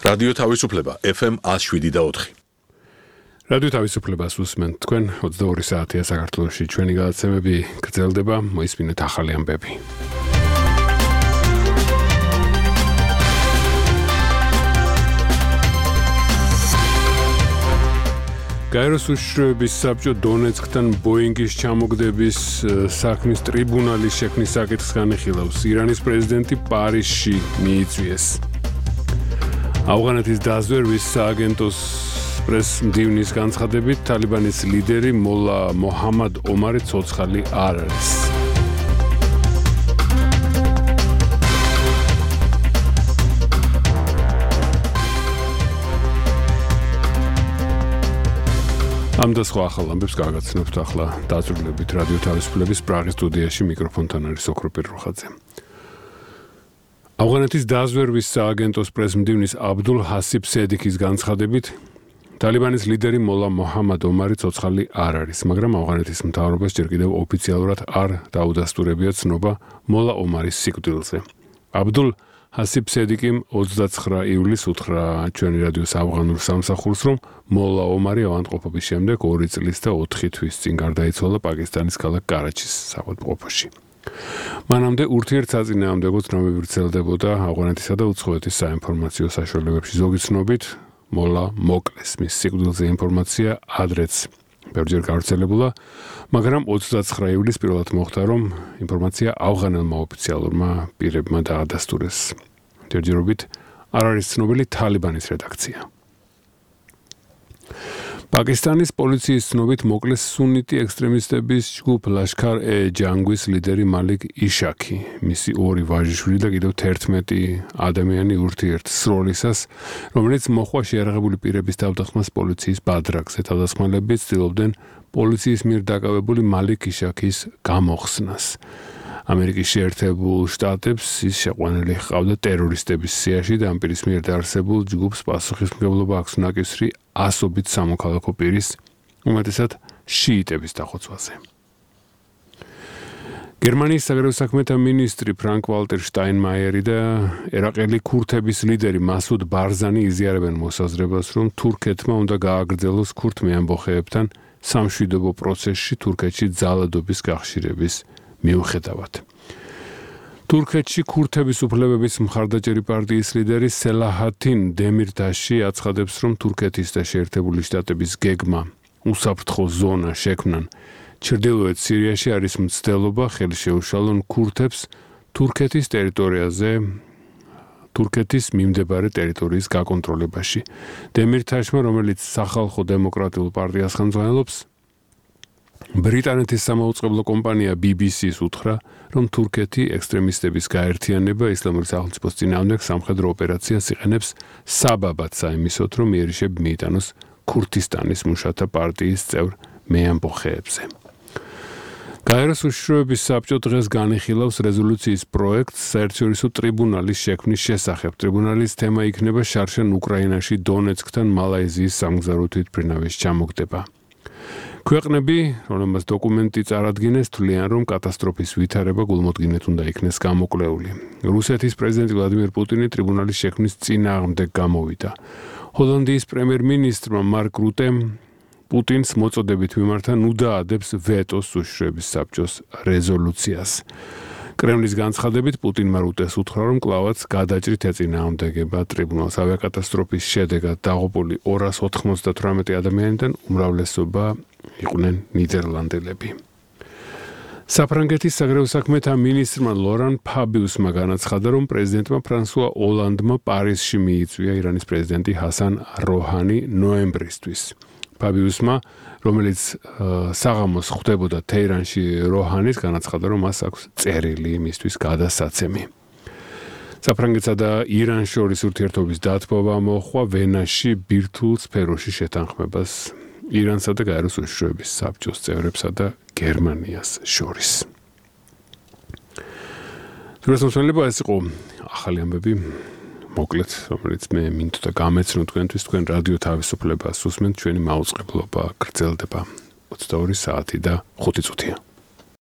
რადიო თავისუფლება FM 107.4. რადიო თავისუფლებას უსმენთ თქვენ 22 საათია საქართველოში ჩვენი გადაცემები გრძელდება მოისმინეთ ახალი ამბები. გაეროს უშიშროების საბჭო დონეცკთან ბოინგის ჩამოგდების საქმის ტრიბუნალის შექმნის საკითხს განიხილავს. ირანის პრეზიდენტი პარიზში მიიწვიეს. ავღანეთის დაზვერვის სააგენტოს პრეს-მდივნის განცხადებით თალიბანის ლიდერი მოლა მოჰამად ომარი ცოცხალი არ არის. ამ და სხვა ახალ ამბებს გაგაცნობთ ახლა დაწვრილებით რადიო თავისუფლების პრაღის სტუდიაში მიკროფონთან არის ოქრო პირროხაძე. ავღანეთის დაზვერვის სააგენტოს პრეს-მდივნის აბდულ ჰასიბ სედიკის განცხადებით თალიბანის ლიდერი მოლა მოჰამად ომარი ცოცხალი არ არის, მაგრამ ავღანეთის მთავრობას ჯერ კიდევ ოფიციალურად არ დაუდასტურებია ცნობა მოლა ომარის სიკვდილზე. აბდულ ჰასიბ სედიკიმ 29 ივლისს უთხრა ჩვენი რადიოს ავღანურ სამსახურს, რომ მოლა ომარი ავადმყოფობის შემდეგ 2 წლის და 4 თვის წინ გარდაიცვალა პაკისტანის ქალაქ კარაჩის ავადმყოფოში. მანამდე ურთიერთსაწინააღმდეგო ცნობები ვრცელდებოდა ავღანეთისა და უცხოეთის საინფორმაციო საშუალებებში. ზოგი ცნობით მოლა მოკლეს. მის სიკვდილზე ინფორმაცია ადრეც ბევრჯერ გავრცელებულა, მაგრამ 29 ივლისს პირველად მოხდა, რომ ინფორმაცია ავღანელმა ოფიციალურმა პირებმა დაადასტურეს. ჯერჯერობით არ არის ცნობილი თალიბანის რედაქცია. პაკისტანის პოლიციის ცნობით მოკლეს სუნიტი ექსტრემისტების ჯგუფ ლაშქარ-ე-ჯანგვის ლიდერი მალიკ იშაქი. მისი 2 ვაჟიშვილი და კიდევ 11 ადამიანი ურთიერთსროლისას, რომელიც მოხვა შეიარაღებული პირების თავდახმას პოლიციის ბადრაგზე. თავდასხმელები ცდილობდნენ პოლიციის მიერ დაკავებული მალიკ იშაქის გამოხსნას. ამერიკის შეერთებულ შტატებს ის შეყვანილი ჰყავდა ტერორისტების სიაში და ამ პირის მიერ დაარსებულ ჯგუფს პასუხისმგებლობა აქვს ნაკისრი ასობით სამოქალაქო პირის, უმეტესად შიიტების დახოცვაზე. გერმანიის საგარეო საქმეთა მინისტრი ფრანკ ვალტერ შტაინმაიერი და ერაყელი ქურთების ლიდერი მასუდ ბარზანი იზიარებენ მოსაზრებას, რომ თურქეთმა უნდა გააგრძელოს ქურთ მეამბოხეებთან სამშვიდობო პროცესში თურქეთში ძალადობის გახშირების მიუხედავად. თურქეთში ქურთების უფლებების მხარდაჭერი პარტიის ლიდერი სელაჰათინ დემირტაში აცხადებს, რომ თურქეთის და შეერთებული შტატების გეგმა უსაფრთხო ზონა შექმნან ჩრდილოეთ სირიაში არის მცდელობა ხელი შეუშალონ ქურთებს თურქეთის ტერიტორიაზე თურქეთის მიმდებარე ტერიტორიის გაკონტროლებაში. დემირტაშმა, რომელიც სახალხო დემოკრატიულ პარტიას ხელმძღვანელობს, ბრიტანეთის სამაუწყებლო კომპანია BBC-ს უთხრა, რომ თურქეთი ექსტრემისტების გაერთიანება ისლამური სახელმწიფოს წინააღმდეგ სამხედრო ოპერაციას იყენებს საბაბად საიმისოდ, რომ იერიშები მიიტანოს ქურთისტანის მუშათა პარტიის წევრ მეამბოხეებზე. გაეროს უშიშროების საბჭო დღეს განიხილავს რეზოლუციის პროექტს საერთაშორისო ტრიბუნალის შექმნის შესახებ. ტრიბუნალის თემა იქნება შარშან უკრაინაში დონეცკთან მალაიზიის სამგზავრო თვითმფრინავის ჩამოგდება. ქვეყნები, რომელმაც დოკუმენტი წარადგინეს, თვლიან, რომ კატასტროფის ვითარება გულმოდგინედ უნდა იქნეს გამოკლეული. რუსეთის პრეზიდენტი ვლადიმერ პუტინი ტრიბუნალის შექმნის წინააღმდეგ გამოვიდა. ჰოლანდიის პრემიერ-მინისტრმა მარკ რუტემ პუტინს მოწოდებით მიმართა ნუ დაადებს ვეტოს უშიშროების საბჭოს რეზოლუციას. კრემლის განცხადებით პუტინმა რუტეს უთხრა, რომ კლავაც გადაჭრით ეწინააღმდეგება ტრიბუნალს. ავიაკატასტროფის შედეგად დაღუპული 298 ადამიანიდან უმრავლესობა იყვნენ ნიდერლანდელები. საფრანგეთის საგარეო საქმეთა მინისტრმა ლორან ფაბიუსმა განაცხადა, რომ პრეზიდენტმა ფრანსუა ოლანდმა პარიზში მიიწვია ირანის პრეზიდენტი ჰასან როჰანი ნოემბრისთვის. ფაბიუსმა, რომელიც საღამოს ხვდებოდა თეირანში როჰანის, განაცხადა, რომ მას აქვს წერილი მისთვის გადასაცემი. საფრანგეთსა და ირანს შორის ურთიერთობის დათბობა მოჰყვა ვენაში ბირთვულ სფეროში შეთანხმებას ირანსა და გაეროს უშიშროების საბჭოს წევრებსა და გერმანიას შორის. თურქეთმა ეს იყო ახალი ამბები. მოკლედ, რომელიც მე მინდოდა გამეცნო თქვენთვის, თქვენ რადიო თავისუფლებას უსმენთ, ჩვენი მაუწყებლობა გრძელდება 22 საათი და 5 წუთია.